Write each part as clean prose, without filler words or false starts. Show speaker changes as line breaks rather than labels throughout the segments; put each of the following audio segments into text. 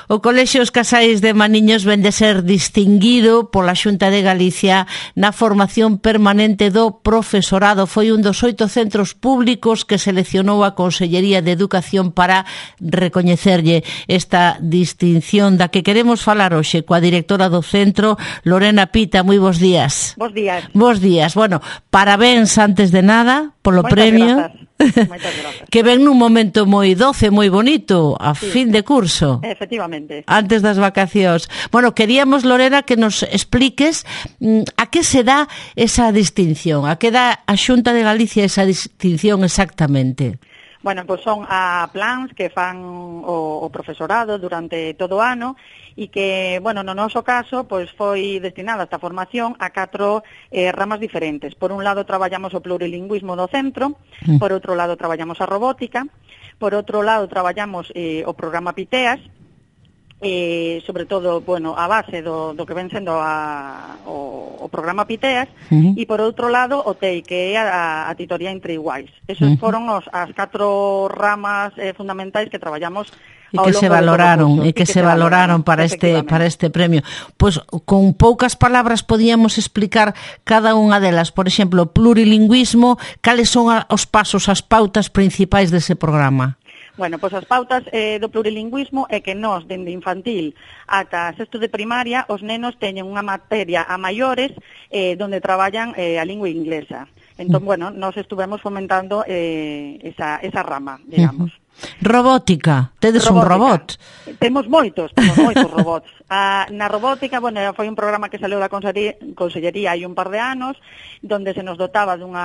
O Colexio Os Casais de Maniños ven de ser distinguido pola Xunta de Galicia na formación permanente do profesorado. Foi un dos 8 centros públicos que seleccionou a Consellería de Educación para recoñecerlle esta distinción da que queremos falar hoxe coa directora do centro, Lorena Pita. Moi bons días.
Bos días.
Bos días. Bueno, parabéns antes de nada polo
Moitas
premio.
Moitas grazas.
Que ven nun momento moi doce, moi bonito, a fin de curso.
Efectivamente.
Antes das vacacións. Bueno, queríamos, Lorena, que nos expliques a que se dá esa distinción, a que dá a Xunta de Galicia esa distinción exactamente.
Bueno, pois son a plans que fan o profesorado durante todo o ano e que, bueno, no noso caso, pois foi destinada esta formación a 4 ramas diferentes. Por un lado, traballamos o plurilingüismo do centro, por outro lado, traballamos a robótica, por outro lado, traballamos o programa Piteas, sobre todo, bueno, a base do que ven sendo o programa Piteas, e por outro lado o TEI, que é a titoría entre iguais. Esos foron as 4 ramas fundamentais que traballamos
e que se valoraron para este premio. Pois con poucas palabras podíamos explicar cada unha delas. Por exemplo, plurilingüismo, cales son os pasos, as pautas principais dese programa?
Bueno, pois as pautas do plurilingüismo é que nós, dende infantil ata sexto de primaria, os nenos teñen unha materia a maiores donde traballan a lingua inglesa. Entón, bueno, nós estuvemos fomentando esa rama, digamos.
Robótica, tedes un robot?
Temos moitos robots. Na robótica, bueno, foi un programa que saleu da Consellería hai un par de anos, donde se nos dotaba duns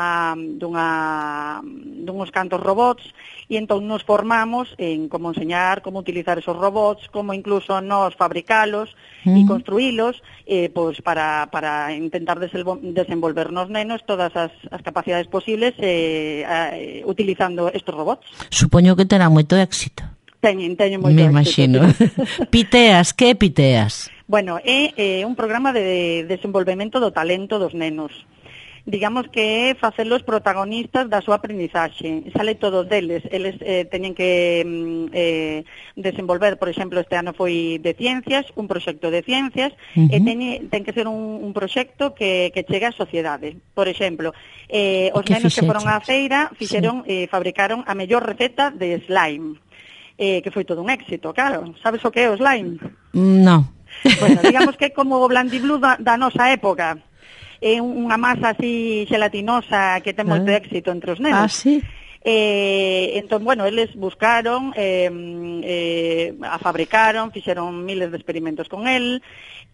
cantos robots, e entón nos formamos en como enseñar, como utilizar esos robots, como incluso nos fabricalos e construílos, pois para intentar desenvolver nos nenos todas as capacidades posibles utilizando estos robots.
Supoño que terá moito éxito.
Teñen moito éxito.
Me imagino. Piteas, que é Piteas?
Bueno, é un programa de desenvolvemento do talento dos nenos. Digamos que é facelos protagonistas da súa aprendizaxe. Sale todo deles. Eles teñen que desenvolver, por exemplo, este ano foi de ciencias, un proxecto de ciencias, e ten que ser un proxecto que chegue á sociedade. Por exemplo, os nenos que foron á feira fabricaron a mellor receta de slime, que foi todo un éxito, claro. Sabes o que é o slime?
No.
Bueno, digamos que é como o blandiblú da nosa época. É unha masa así gelatinosa que ten moito éxito entre os nenos.
Ah, sí?
Entón, bueno, eles buscaron, a fabricaron, fixeron miles de experimentos con el,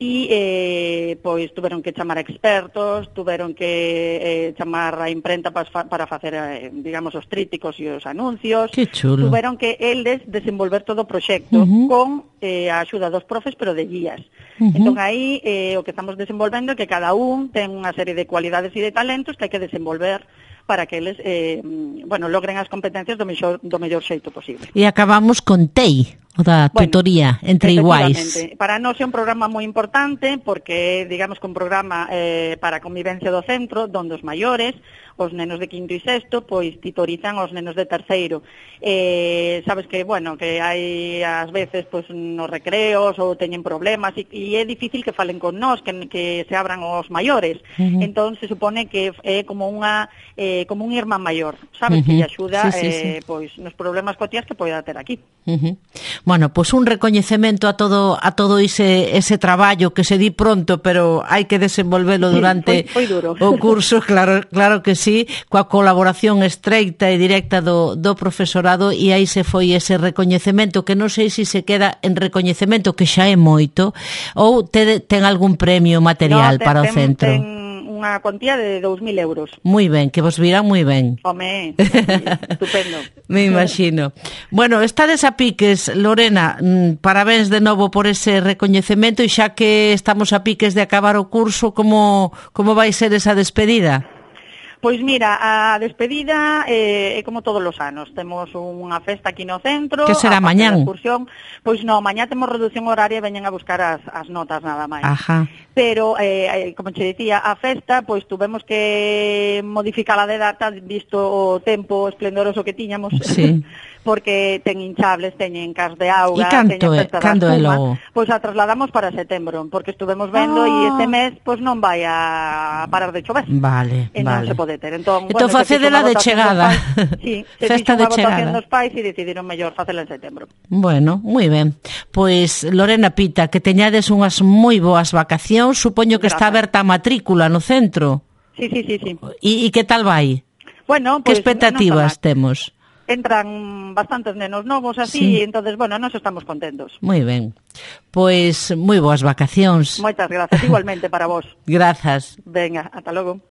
e pois tuveron que chamar a expertos, tuveron que chamar a imprenta para facer, digamos, os trípticos e os anuncios.
Que chulo.
Tuveron que eles desenvolver todo o proxecto con a axuda dos profes, pero de guías. Entón aí o que estamos desenvolvendo é que cada un ten unha serie de cualidades e de talentos que hai que desenvolver para que eles, logren as competencias do mellor xeito posible.
E acabamos con TEI, o da tutoría entre iguais.
Para nós é un programa moi importante porque, digamos, que un programa para a convivencia do centro, donde os maiores, os nenos de quinto e sexto, pois titorizan os nenos de terceiro. Sabes que, bueno, que hai ás veces pois nos recreos ou teñen problemas e é difícil que falen con nós, que se abran os maiores. Entón se supone que é como como un irmán maior, sabes, que lle axuda pois nos problemas cotiás que poida ter aquí.
Bueno, pois un recoñecemento a todo ese traballo que se di pronto, pero hai que desenvolvelo durante
foi duro.
O curso, claro que sí, coa colaboración estreita e directa do profesorado, e aí se foi ese recoñecemento que non sei se queda en recoñecemento, que xa é moito, ou ten algún premio material para o centro.
Unha cuantía de 2.000 euros.
Moi ben, que vos virán moi ben.
Home, estupendo.
Me imagino. Bueno, estades a piques, Lorena, parabéns de novo por ese recoñecemento, e xa que estamos a piques de acabar o curso, como vai ser esa despedida?
Pois mira, a despedida é como todos os anos. Temos unha festa aquí no centro.
Que será mañán?
Pois non, mañá temos reducción horaria e veñen a buscar as notas nada máis.
Ajá.
Pero, como che dicía, a festa, pois tuvemos que modificala de data, visto o tempo esplendoroso que tiñamos.
Sí.
Porque ten hinchables, teñen cas de auga,
e canto é? Cando é logo?
Pois a trasladamos para setembro, porque estuvemos vendo e este mes pois non vai a parar de chover.
Vale,
e non se pode ter. Entón
facedela de chegada.
Sí,
festa de chegada.
Dos pais e decidiron mellor facela en setembro.
Bueno, moi ben. Pois Lorena Pita, que teñades unhas moi boas vacacións, supoño que está aberta a matrícula no centro.
Sí.
E que tal vai?
Bueno,
que expectativas temos?
Entran bastantes nenos novos así, e entonces, bueno, nós estamos contentos.
Moi ben. Pois moi boas vacacións.
Moitas grazas, igualmente para vos.
Grazas.
Venga, ata logo.